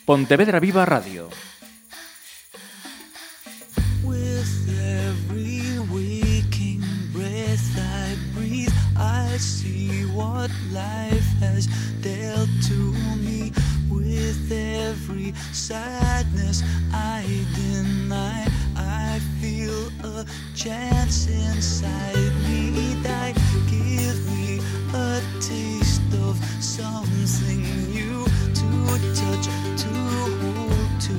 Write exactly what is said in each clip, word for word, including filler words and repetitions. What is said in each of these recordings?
Pontevedra Viva Radio. With every waking breath I breathe, I see what life has dealt to me. With every sadness I deny, I feel a chance inside me that give me a taste of something new, to touch, to hold, to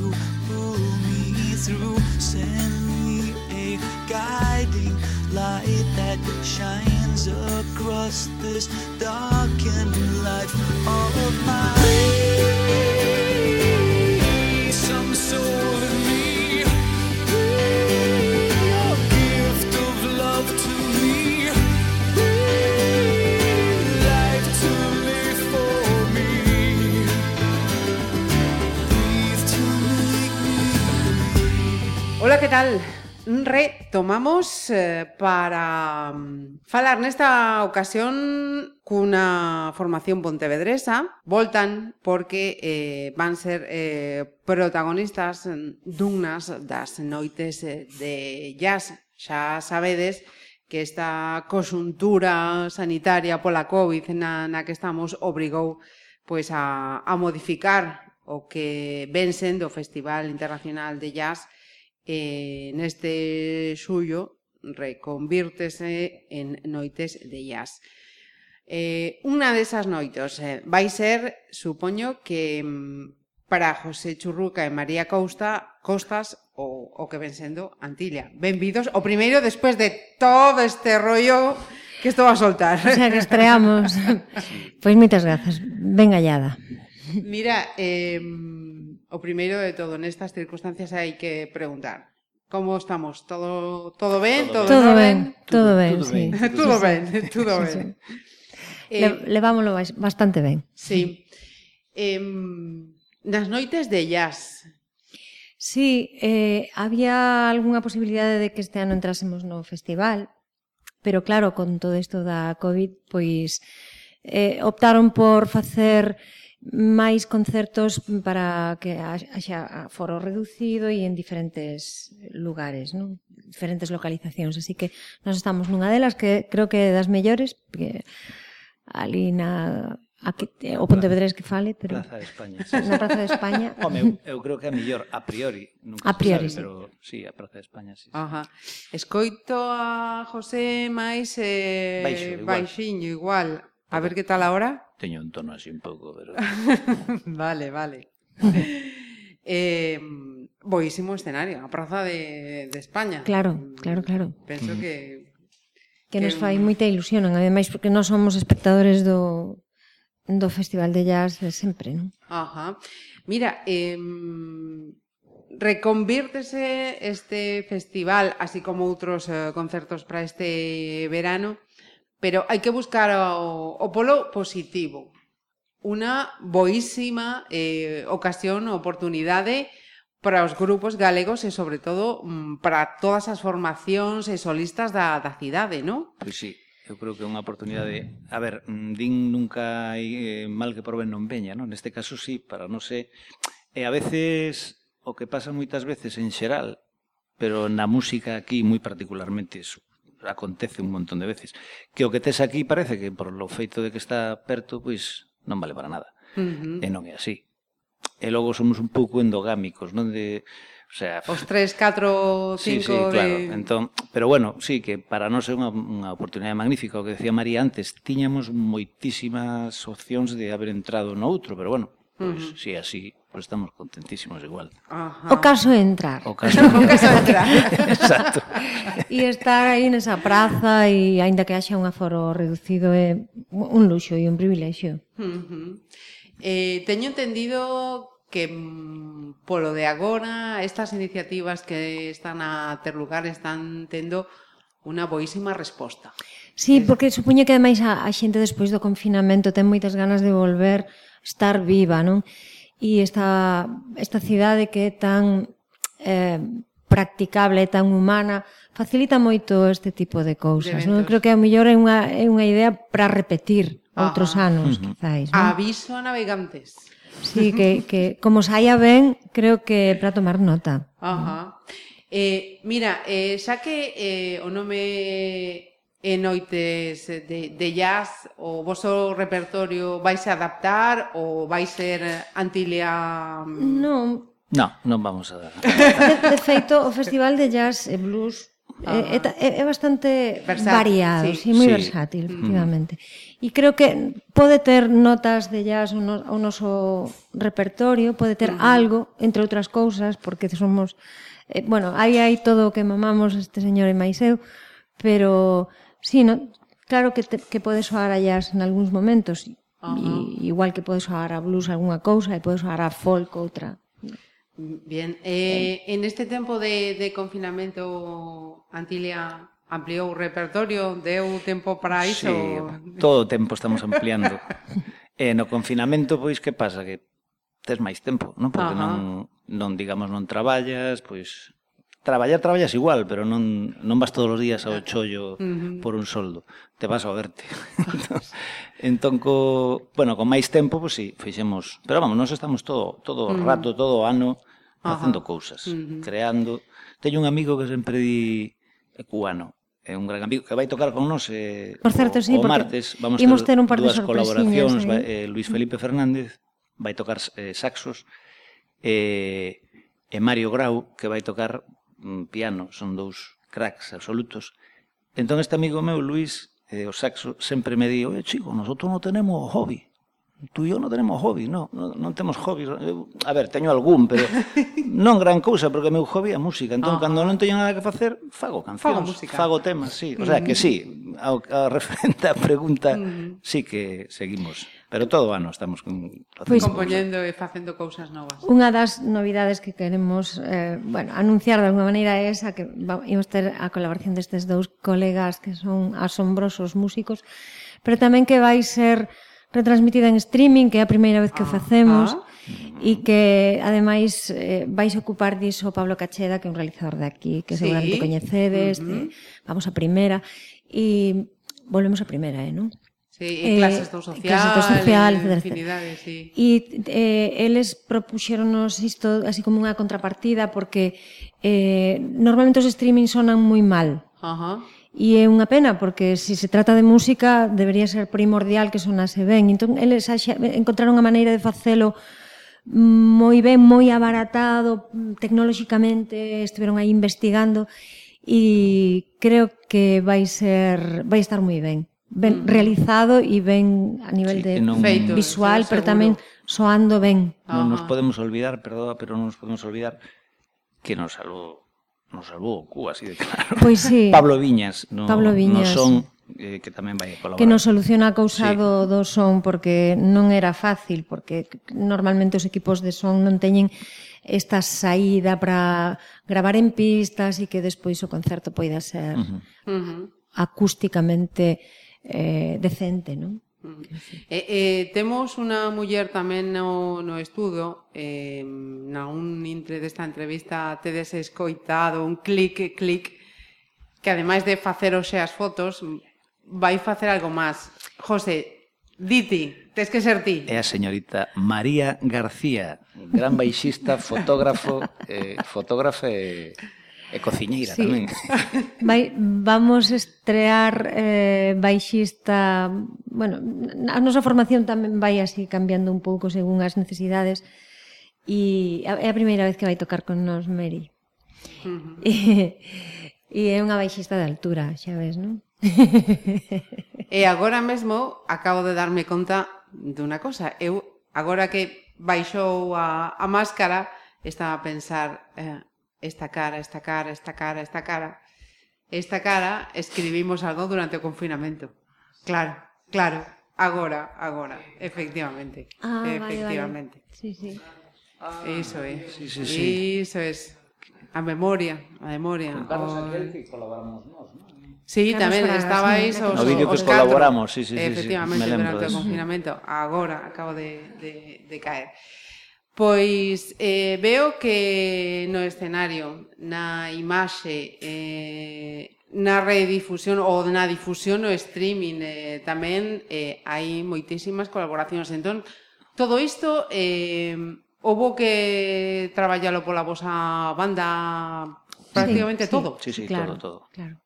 pull me through. Send me a guiding light that shines across this darkened life of mine. Some soul in me, a gift of love to me, life to live for me, breathe to make me. Ola, que tal? Retomamos eh, para um, falar nesta ocasión cunha formación pontevedresa. Voltan porque eh, van ser eh, protagonistas dunhas das noites de jazz. Xa sabedes que esta conxuntura sanitaria pola COVID na, na que estamos obrigou pois, a, a modificar o que ven sendo o Festival Internacional de Jazz. Eh, neste xullo reconvírtese en noites de jazz. Eh, unha desas noites eh, vai ser, supoño que para José Churruca e María Costa, Costas o, o que ven sendo Antilla. Benvidos, o primeiro despois de todo este rollo que estou a soltar. O sea, que estreamos. Pois moitas grazas, ben hallada. Mira, eh, o primeiro de todo, nestas circunstancias hai que preguntar. Como estamos? Todo todo ben? Todo, todo ben, todo ben, todo sí. ben. Todo ben, todo Sí, ben. sí. Eh, Le, levámoslo bastante ben. sí. Eh, nas noites de jazz. Sí, eh, había algunha posibilidade de que este ano entrásemos no festival, pero claro, con todo isto da COVID, pois eh, optaron por facer máis concertos para que haxa foro reducido e en diferentes lugares, non? Diferentes localizacións, así que nós estamos nunha delas que creo que é das mellores, porque ali na aquí, o Pontevedrés que fale, pero Praza de España. Sí. Na Praza de España. Home, eu, eu creo que é a mellor a priori, nunca A priori, se sabe, sí. pero sí, a Praza de España, sí. sí. Ajá. Escoito a José máis eh, Baixo, igual. baixiño igual. A ver que tal ahora. Teño un tono así un pouco, pero Vale, vale. eh, boísimo escenario, a Praza de, de España. Claro, claro, claro. Penso que... Que nos que- fai moita ilusión, ademais porque nós somos espectadores do do Festival de Jazz de sempre, non? Ajá. Mira, eh, reconvírtese este festival, así como outros eh, concertos para este verano, pero hai que buscar o, o polo positivo. Unha boísima eh, ocasión, oportunidade para os grupos galegos e, sobre todo, mm, para todas as formacións e solistas da, da cidade, non? pois sí, eu creo que é unha oportunidade. A ver, mm, din nunca hai eh, mal que por ben non veña, non? Neste caso sí, para non sé. E a veces o que pasa moitas veces en xeral, pero na música aquí moi particularmente iso acontece un montón de veces, que o que tes aquí parece que por lo feito de que está perto, pois non vale para nada. Uh-huh. E non é así. E logo somos un pouco endogámicos, non de, o sea, Os tres, catro, sí, cinco sí, claro. de... Entón, pero bueno, sí, que para nós é unha, unha oportunidade magnífica. O que decía María antes, tiñamos moitísimas opcións de haber entrado no outro, pero bueno, pois, Uh-huh. si é así, pois estamos contentísimos igual. Ajá. O caso é entrar. O caso O caso é entrar. Exacto. E estar aí nesa praza e aínda que haxa un aforo reducido é un luxo e un privilexio. Uh-huh. Eh, teño entendido que mm, polo de agora estas iniciativas que están a ter lugar están tendo unha boísima resposta. Sí, porque supoño que ademais a, a xente despois do confinamento ten moitas ganas de volver a estar viva, non? E esta, esta cidade que é tan eh, practicable, tan humana, facilita moito este tipo de cousas, De non? eventos. Creo que a mellor é unha, é unha idea para repetir outros Ajá. anos, Ujú. quizáis, non? Aviso a navegantes. Sí, que, que como saia ben, creo que para tomar nota. Ajá. Eh, mira, eh, xa que eh, o nome é Noites de, de Jazz, o vosso repertorio vais a adaptar ou vai ser Antilia? Non, No, non vamos a dar. de, de feito, o Festival de Jazz e Blues é, é, é bastante Versátil, variado, sí. sí, moi Sí. versátil, efectivamente. E creo que pode ter notas de jazz o, no, o noso repertorio, pode ter algo, entre outras cousas, porque somos... Eh, bueno, aí hai todo o que mamamos este señor e máis eu, pero sí, no, claro que, te, que pode soar a jazz en algúns momentos, e, igual que pode soar a blues algunha cousa e pode soar a folk outra. Bien, eh, en este tempo de, de confinamento Antilia ampliou o repertorio, deu tempo para iso? Sí, todo o tempo estamos ampliando. E no confinamento, pois, que pasa? Que tes máis tempo, non? Porque Ajá. non, non, digamos, non traballas, pois... Traballar, traballas igual, pero non, non vas todos os días ao chollo Uh-huh. por un soldo. Te vas a verte. entón, entón, co, bueno, con máis tempo, pois sí, fixemos... Pero vamos, nós estamos todo todo o rato, todo o ano, facendo cousas, Uh-huh. creando. Teño un amigo que sempre di é cubano, é un gran amigo que vai tocar con nós eh, Por certo, o, sí, o porque martes. Vamos imos ter un par de dúas sorpresiñas, colaboracións. eh. vai, eh, Luis Felipe Fernández vai tocar eh, saxos e, e Mario Grau que vai tocar mm, piano. Son dous cracks absolutos. Entón este amigo meu, Luis, eh, o saxo, sempre me di: oye, chico, nosotros non tenemos hobby. Tú e eu non tenemos hobby, non, non, non temos hobby. Eu, a ver, teño algún, pero non gran cousa, porque o meu hobby é a música. Entón, Ajá. cando non teño nada que facer, fago cancións, Fago música. fago temas, sí. O sea, que sí, ao, a referente á pregunta, sí que seguimos. Pero todo o ano estamos con... Pois- Compoñendo e facendo cousas novas. Unha das novidades que queremos eh, bueno, anunciar de alguma maneira é esa, que va, imos ter a colaboración destes dous colegas que son asombrosos músicos, pero tamén que vai ser retransmitida en streaming, que é a primeira vez que o facemos, ah. e que ademais eh, vais ocupar diso Pablo Cacheda, que é un realizador de aquí, que Sí. seguramente coñecedes, Uh-huh. de, vamos a primeira, e volvemos a primeira, eh, non? Sí, e Eh, clases do social, clases do social, e etcétera, infinidade, sí. E eh, eles propuxeronos isto así como unha contrapartida porque eh, normalmente os streaming sonan moi mal. Ajá. E é unha pena porque se se trata de música debería ser primordial que sonase ben. Entón eles axa, encontraron unha maneira de facelo moi ben, moi abaratado, tecnolóxicamente estiveron aí investigando e creo que vai ser vai estar moi ben. Ben realizado e ben a nivel Sí, de que non- Feito, visual, sí, pero seguro. tamén soando ben. Non nos Ajá. podemos olvidar, perdón, pero non nos podemos olvidar que nos salvou, nos salvou Cuba, así de claro. Pois sí. Pablo Viñas, no, Pablo Viñas. no son, eh, que tamén vai a colaborar. Que nos soluciona a cousa Sí. do, do son porque non era fácil, porque normalmente os equipos de son non teñen esta saída para gravar en pistas e que despois o concerto poida ser Uh-huh. Uh-huh. acústicamente eh, decente, non? Eh, eh, temos unha muller tamén no, no estudo, eh, na un intre desta entrevista tedes escoitado un clic, clic, que ademais de facer hoxe as fotos, vai facer algo máis. José, diti, tes que ser ti. É a señorita María García, gran baixista, fotógrafo, eh, fotógrafa e, e cociñeira Sí. tamén. Vai, vamos estrear eh, baixista, bueno, a nosa formación tamén vai así cambiando un pouco según as necesidades e é a primeira vez que vai tocar con nos Mary. Uh-huh. E, e é unha baixista de altura, xa ves, non? E agora mesmo acabo de darme conta dunha cosa. Eu, agora que baixou a, a máscara, estaba a pensar eh, esta cara, esta cara, esta cara, esta cara. Esta cara escribimos algo durante o confinamento. Claro, claro. Agora, agora, efectivamente. Ah, vale, efectivamente. vale. Sí, sí. Iso é. Sí, sí, sí. Iso é. A memoria, a memoria. O... que colaboramos nós, non? Sí, Carlos tamén Fragas, estabais sí, os, no vídeo que os catro. colaboramos, sí, sí, sí, sí, efectivamente, me lembro durante o deso. confinamento. Agora acabo de, de, de caer. Pois eh, veo que no escenario, na imaxe, eh, na redifusión ou na difusión no streaming eh, tamén eh, hai moitísimas colaboracións. Entón, todo isto eh, houbo que traballalo pola vosa banda prácticamente sí, todo. Sí, sí, claro, todo, todo. Claro.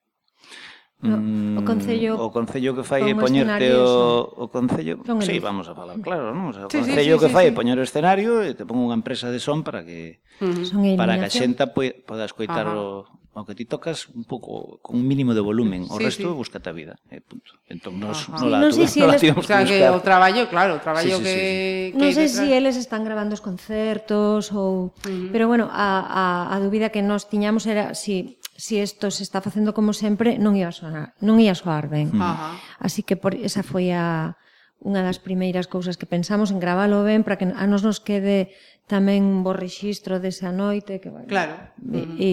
No, Mm, o Concello o Concello que fai é pon o poñerte escenario, o, o Concello, Son sí, eles. vamos a falar, claro, non? O sea, o Sí, sí, Concello sí, que sí, fai é sí. poñer o escenario e te pon unha empresa de son para que Ujú. Son a para que a iluminación. xenta poida, poda escoitar Ajá. o, o que ti tocas un pouco con un mínimo de volumen, o Sí, resto sí. búscate a vida, e punto. Entón nos Ajá. no Sí, la non tuve, sei si no la eles- tivemos O sea, que que buscar. o traballo, claro, o traballo Sí, sí, que, sí, que Non hai sei detrás. se eles están grabando os concertos ou... Ujú. Pero bueno, a, a, a dúbida que nós tiñamos era si si isto se está facendo como sempre, non ia sonar, non ia soar ben. Ajá. Así que por esa foi a unha das primeiras cousas que pensamos en gravalo ben para que a nos nos quede tamén un bo rexistro desa noite que bueno, Claro. e, e,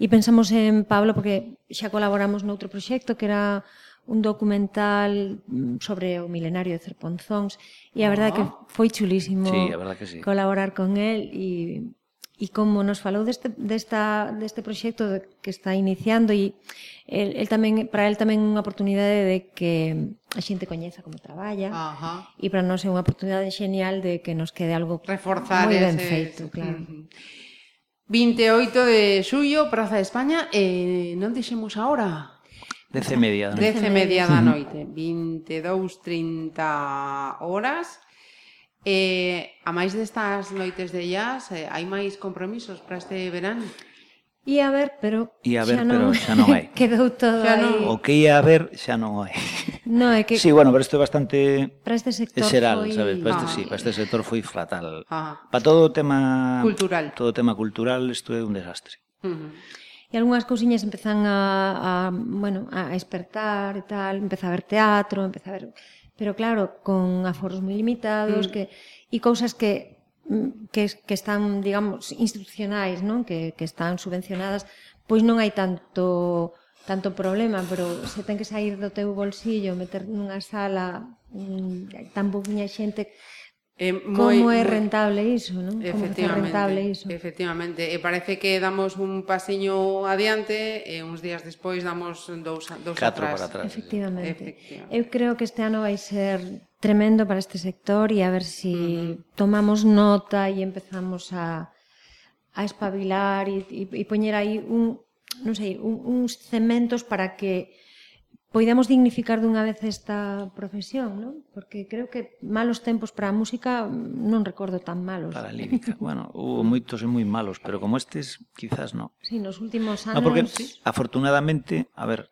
e pensamos en Pablo porque xa colaboramos noutro proxecto que era un documental mm, sobre o milenario de Cerponzóns e a verdade que foi chulísimo Sí, a verdade que sí. colaborar con el e E como nos falou deste, desta, deste proxecto que está iniciando e el, el tamén, para el tamén unha oportunidade de que a xente coñeza como traballa Ajá. e para nós é unha oportunidade genial de que nos quede algo Reforzar moi ben ese... feito, claro. Ujú. vinte e oito de xullo, Praza de España, e non dixemos a hora. Dece e media, non? Dez e media da noite, vinte e dous, trinta horas. E a máis destas noites de jazz, eh, hai máis compromisos para este verán? E a ver, pero E a ver, xa non, pero xa non hai. quedou todo Xa aí. non- O que ia a ver xa non hai. No, é que Sí, bueno, pero isto é bastante para este sector xeral, foi... sabes? Para este, Ah. sí, para este sector foi fatal. Ah. Para todo o tema Cultural. todo o tema cultural isto é un desastre. Ujú. E algunhas cousiñas empezan a, a, bueno, a despertar e tal, empeza a ver teatro, empeza a ver... Pero claro, con aforos moi limitados, Mm. que e cousas que que, que están, digamos, institucionais, non? Que, que están subvencionadas, pois non hai tanto tanto problema, pero se ten que sair do teu bolsillo, meter nunha sala mm, tan pouquinha xente, É como moi- é moi- rentable iso, non? Como é rentable iso? Efectivamente, e parece que damos un pasiño adiante e uns días despois damos dous, dous Catro atrás. para atrás. Efectivamente. Efectivamente. Eu creo que este ano vai ser tremendo para este sector e a ver si uh-huh. tomamos nota e empezamos a, a espabilar e, e, e poñer aí un, non sei, un, uns cementos para que poidamos dignificar dunha vez esta profesión, non? Porque creo que malos tempos para a música non recordo tan malos. Para a lírica. Bueno, hubo moitos e moi malos, pero como estes, quizás no. Sí, nos últimos anos... No, porque afortunadamente, a ver,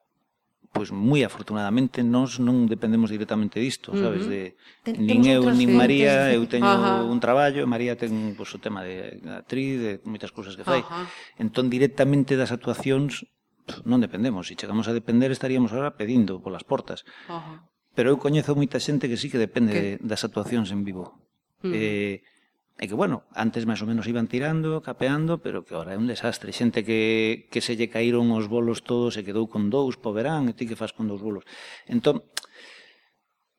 pois moi afortunadamente nós non dependemos directamente disto, sabes, de Ten- nin temos eu outras nin fuentes María, de- eu teño Ajá. un traballo, María ten pois, o tema de actriz, de moitas cousas que fai. Ajá. Entón directamente das actuacións pff, non dependemos, se chegamos a depender estaríamos agora pedindo polas portas. Ajá. Pero eu coñezo moita xente que sí que depende Que- de, das actuacións en vivo. Mm. Eh, e que, bueno, antes máis ou menos iban tirando, capeando, pero que ahora é un desastre. Xente que, que se lle caíron os bolos todos e quedou con dous po verán, e ti que fas con dous bolos. Entón,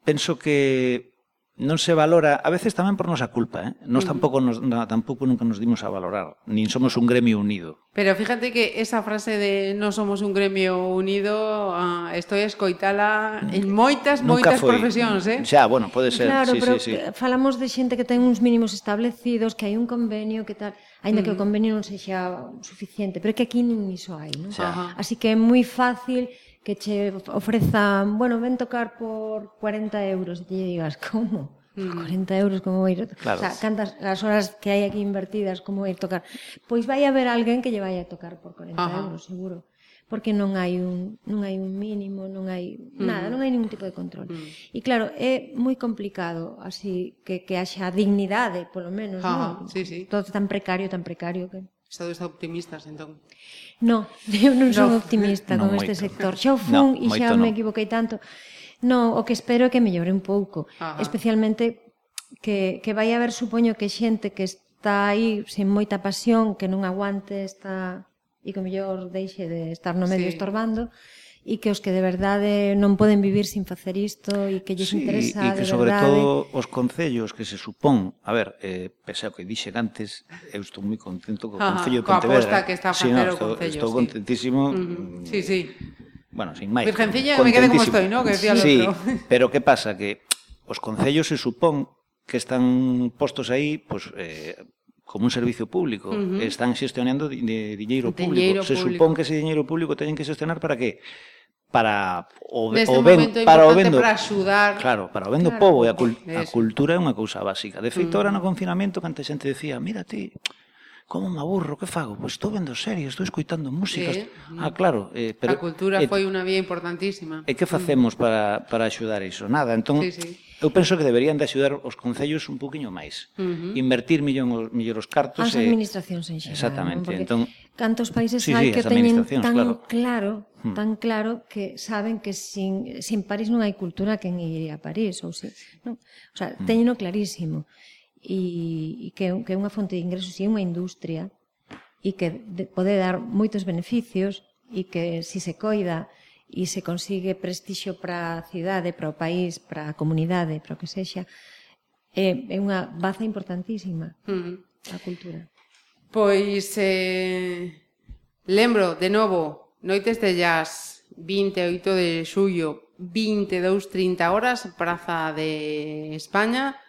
penso que non se valora, a veces tamén por nosa culpa, eh? Nós tampouco, nos, na, tampouco nunca nos dimos a valorar, nin somos un gremio unido. Pero fíjate que esa frase de no somos un gremio unido, uh, estoy a escoitala en moitas, Nunca moitas foi. profesións, eh? Xa, bueno, pode ser, Claro, sí, pero sí, sí. falamos de xente que ten uns mínimos establecidos, que hai un convenio, que tal, aínda que o convenio non sexa suficiente, pero é que aquí nin iso hai, non? Xa. Ajá. Así que é moi fácil que che ofrezan, bueno, ven tocar por cuarenta euros e te digas, como? Por cuarenta euros, como ir? Claro. O sea, cantas as horas que hai aquí invertidas, como ir tocar? Pois vai haber alguén que lle vai a tocar por cuarenta Ajá. euros, seguro. Porque non hai un non hai un mínimo, non hai nada, non hai ningún tipo de control. E claro, é moi complicado así que que haxa dignidade, polo menos, Ajá, non? sí, sí. Todo tan precario, tan precario que Estado está optimistas, entón. No, eu non son No. optimista Non con este moito. sector. Xa o No, fun e xa moito me non. equivoquei tanto. No, o que espero é que mellore un pouco. Ajá. Especialmente que, que vai haber, supoño, que xente que está aí sen moita pasión, que non aguante esta e que mellor deixe de estar no medio Sí. estorbando, e que os que de verdade non poden vivir sin facer isto e que lles Sí, interesa e que de sobre verdade. todo os concellos que se supón, a ver, eh, pese ao que dixen antes, eu estou moi contento co Ajá, Concello de coa Pontevedra. aposta que está a Sí, facer o estou, Concello, estou sí. contentísimo. Ujú. Sí, sí. Bueno, sin máis. Virgencilla, que me quede como contentísimo. estoy, ¿no? Que decía el sí, otro. pero que pasa? Que os concellos se supón que están postos aí, pues, eh, como un servicio público, uh -huh. están xestionando de, de diñeiro público. Se público. supón que ese diñeiro público teñen que xestionar para que para o, Neste o ben, momento para o importante vendo, para axudar. Claro, para o vendo Claro, povo e a, cul, a eso. cultura é unha cousa básica. De feito, Mm. ahora no confinamento, canta xente decía, mira ti, como me aburro, que fago? Pois estou vendo series, estou escoitando músicas. Sí. Ah, claro. Eh, pero, A cultura eh, foi unha vía importantísima. E que facemos para, para axudar iso? Nada, entón, Sí, sí. eu penso que deberían de axudar os concellos un poquinho máis. Uh -huh. Invertir millón, millor os cartos. As administracións en xeral. Exactamente. Non? Porque Entón, cantos países sí, hai sí, que as teñen administracións, tan claro. claro, Hmm. tan claro que saben que sin, sin París non hai cultura, quen iría a París, ou si, non? O sea, Hmm. teñeno clarísimo. E, e que, que é unha fonte de ingresos e unha industria e que de, pode dar moitos beneficios e que si se coida e se consigue prestixio para a cidade, para o país, para a comunidade, para o que sexa, é, é unha baza importantísima Uh -huh. a cultura. Pois, eh, lembro, de novo, Noites de Jazz, vinte e oito de xullo, vinte e dous trinta horas, Praza de España,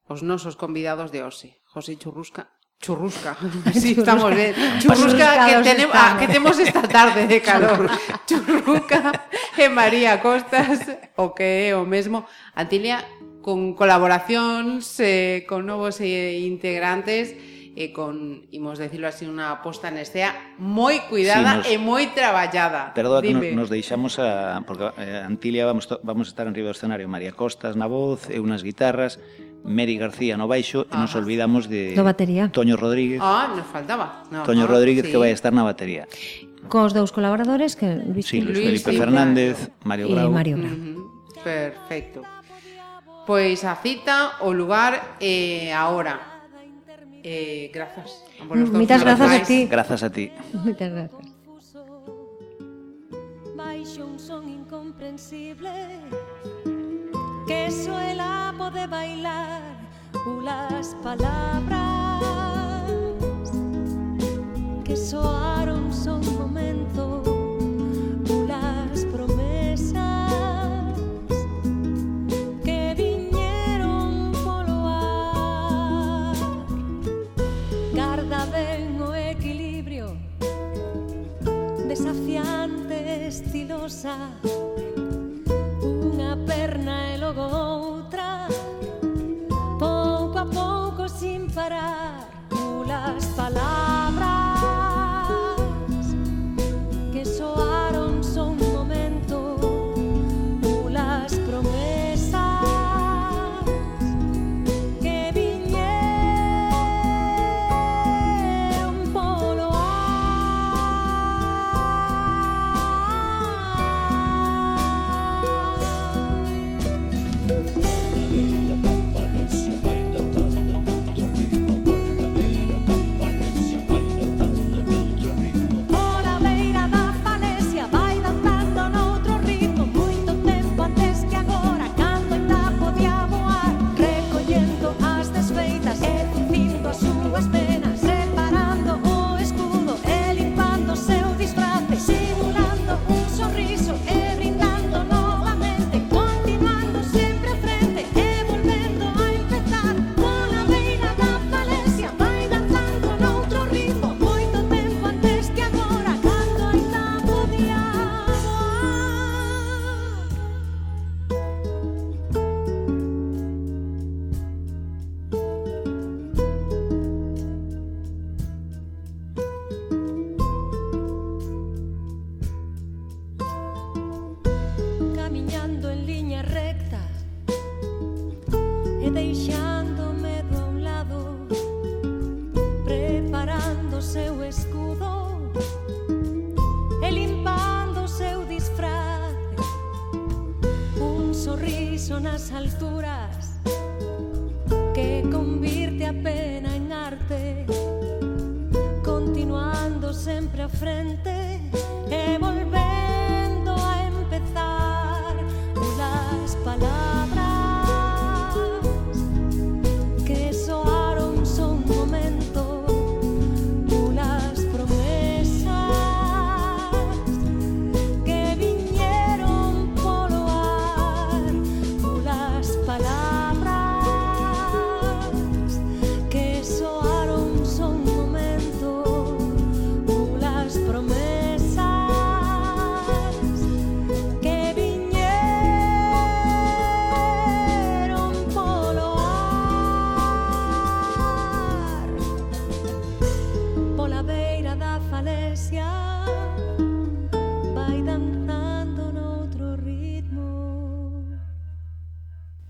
os nosos convidados de hoxe, José Churrusca, Churrusca, sí, estamos ben, Churrusca que, tenem, ah, que temos esta tarde de calor, Churrusca e María Costas, o que é o mesmo, Antilia, con colaboracións, eh, con novos eh, integrantes, e con, imos decirlo así, unha posta en escena moi cuidada Sí, nos- e moi traballada. Perdoa que Dime. nos, nos deixamos a... Porque eh, Antilia vamos, to, vamos a estar en riba do escenario. María Costas na voz, eu nas guitarras, Meri García no baixo, e nos Ajá. olvidamos de... Do batería. Toño Rodríguez. Ah, nos faltaba. No, Toño no, Rodríguez sí. que vai estar na batería. Cos dous colaboradores que Luis Sí, Luis, Luis, Felipe sí, Fernández, Mario e Bravo. Mario Bravo. Ujú, perfecto. Pois a cita, o lugar e a hora. Eh, grazas. a por los dos Moitas grazas a finais. ti. Grazas a ti. Moitas grazas. Baixo un son incomprensible que suela pode bailar ulas palabras que soaron son momento ulas promesas que viñeron polo ar. Garda ben o equilibrio desafiante, estilosa, unha perna e logo outra, pouco a pouco sin parar, ulas palabras que soaron son momento, ulas promesas que viñeron polo Pola beira da falesia vai danzando noutro ritmo moito tempo antes que agora cando ainda podía voar recollendo as desfeitas e curtindo as súas penas reparando o escudo e limpando o seu disfrace simulando un sorriso e brindando novamente continuando sempre a frente e volvendo a empezar pola beira da falesia vai danzando noutro ritmo moito tempo antes que agora cando ainda podía voar. Camiñando en liña recta e deixando medo a un lado preparando o seu escudo e limpando o seu disfraz un sorriso nas alturas que convirte a pena en arte continuando sempre a frente e volvendo a empezar unas palabras que soaron son momento unas promesas que viñeron polo ar unas palabras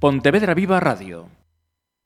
Pontevedra Viva Radio.